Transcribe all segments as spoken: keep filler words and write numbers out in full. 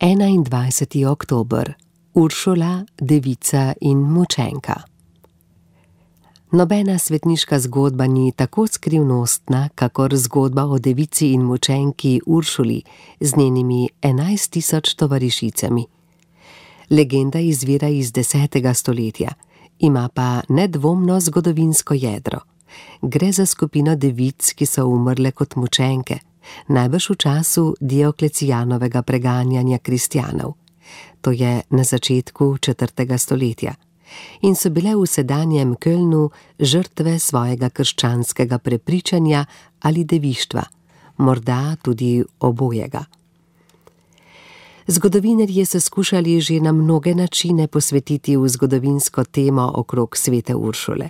enaindvajseti oktober. Uršula, devica in mučenka. Nobena svetniška zgodba ni tako skrivnostna, kakor zgodba o devici in mučenki Uršuli z njenimi enajst tisoč tovarišicami. Legenda izvira iz desetega stoletja, ima pa nedvomno zgodovinsko jedro. Gre za skupino devic, ki so umrle kot mučenke, najbrž v času Dioklecijanovega preganjanja kristjanov. To je na začetku četrtega stoletja. In so bile v sedanjem Kölnu žrtve svojega krščanskega prepričanja ali devištva, morda tudi obojega. Zgodovinarji so skušali že na mnoge načine posvetiti v zgodovinsko temo okrog svete Uršule.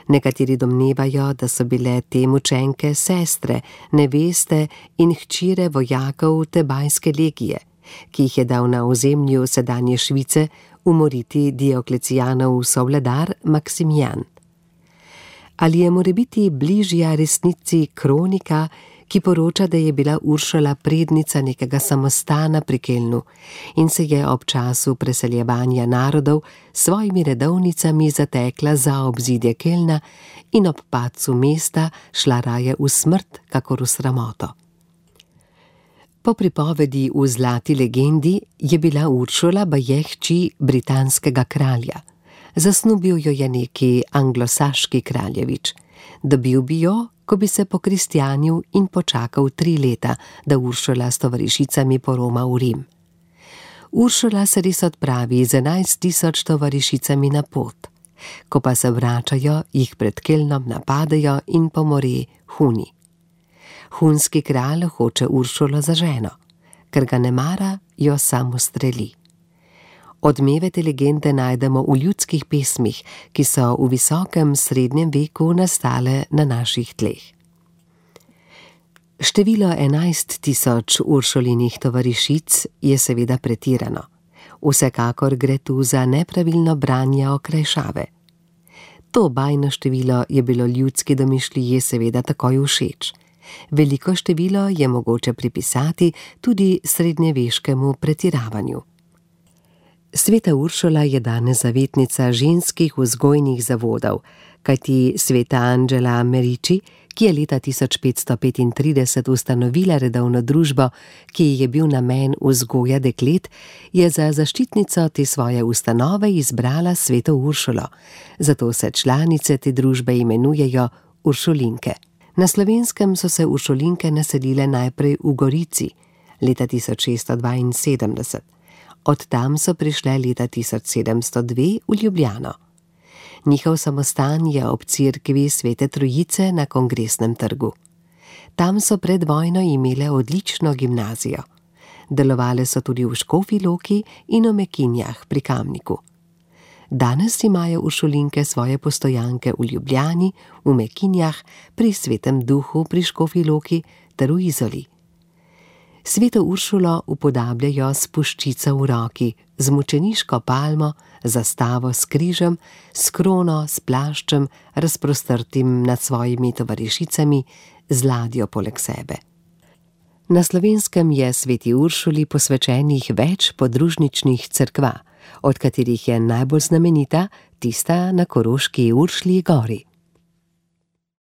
Nekateri domnevajo, da so bile te mučenke sestre, neveste in hčire vojakov Tebajske legije, ki jih je dal na ozemlju sedanje Švice umoriti Dioklecijanov sovladar Maksimijan. Ali je morebiti bližja resnici kronika, ki poroča, da je bila Uršula prednica nekega samostana pri Kölnu in se je ob času preseljevanja narodov s svojimi redovnicami zatekla za obzidje Kölna in ob padcu mesta šla raje v smrt, kakor v sramoto. Po pripovedi v Zlati legendi je bila Uršula baje hči britanskega kralja. Zasnubil jo je neki anglosaški kraljevič. Dobil bi jo, ko bi se pokristjanil in počakal tri leta, da Uršula s tovarišicami poroma v Rim. Uršula se res odpravi z enajst tisoč tovarišicami na pot. Ko pa se vračajo, jih pred Kölnom napadejo in pomore Huni. Hunski kralj hoče Uršulo za ženo, ker ga ne mara, jo sam ustreli. Odmeve te legende najdemo v ljudskih pesmih, ki so v visokem srednjem veku nastale na naših tleh. Število enajst tisoč Uršulinih tovarišic je seveda pretirano. Vsekakor gre tu za nepravilno branje okrajšave. To bajno število je bilo ljudski domišljiji seveda takoj všeč. Veliko število je mogoče pripisati tudi srednjeveškemu pretiravanju. Sveta Uršula je danes zavetnica ženskih vzgojnih zavodov, kajti sveta Angela Merici, ki je leta tisoč petsto petintrideset ustanovila redovno družbo, ki ji je bil namen vzgoja deklet, je za zaščitnico te svoje ustanove izbrala sveto Uršulo, zato se članice te družbe imenujejo Uršulinke. Na Slovenskem so se Uršulinke naselile najprej v Gorici, leta tisoč šeststo dvainsedemdeset. Od tam so prišle leta tisoč sedemsto dve v Ljubljano. Njihov samostan je ob cerkvi Svete Trojice na Kongresnem trgu. Tam so pred vojno imele odlično gimnazijo. Delovale so tudi v Škofji Loki in v Mekinjah pri Kamniku. Danes imajo Uršulinke svoje postojanke v Ljubljani, v Mekinjah, pri Svetem Duhu pri Škofji Loki ter v Izoli. Sveto Uršulo upodabljajo s puščico v roki, z mučeniško palmo, zastavo s križem, s krono, s plaščem, razprostrtim nad svojimi tovarišicami, z ladjo poleg sebe. Na Slovenskem je sveti Uršuli posvečenih več podružničnih cerkva, od katerih je najbolj znamenita tista na koroški Uršlji gori.